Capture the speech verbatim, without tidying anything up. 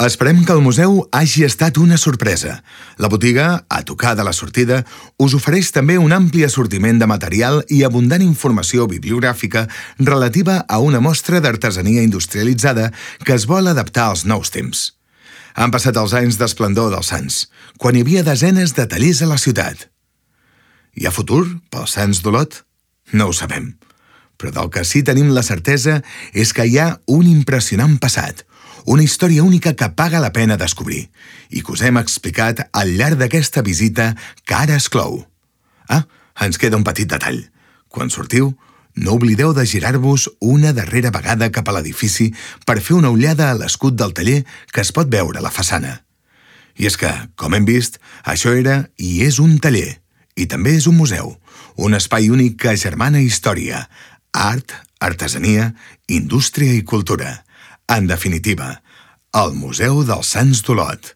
Esperem que el museu hagi estat una sorpresa. La botiga, a tocar de la sortida, us ofereix també un ampli assortiment de material i abundant informació bibliogràfica relativa a una mostra d'artesania industrialitzada que es vol adaptar als nous temps. Han passat els anys d'esplendor dels Sants, quan hi havia desenes de tallers a la ciutat. Hi ha futur pels Sants d'Olot? No ho sabem. Però del que sí tenim la certesa és que hi ha un impressionant passat, una història única que paga la pena descobrir i que us hem explicat al llarg d'aquesta visita que ara es clou. Ah, ens queda un petit detall. Quan sortiu, no oblideu de girar-vos una darrera vegada cap a l'edifici per fer una ullada a l'escut del taller que es pot veure a la façana. I és que, com hem vist, això era i és un taller, i també és un museu, un espai únic que agermana història, art, artesania, indústria i cultura. En definitiva, el Museu dels Sants d'Olot.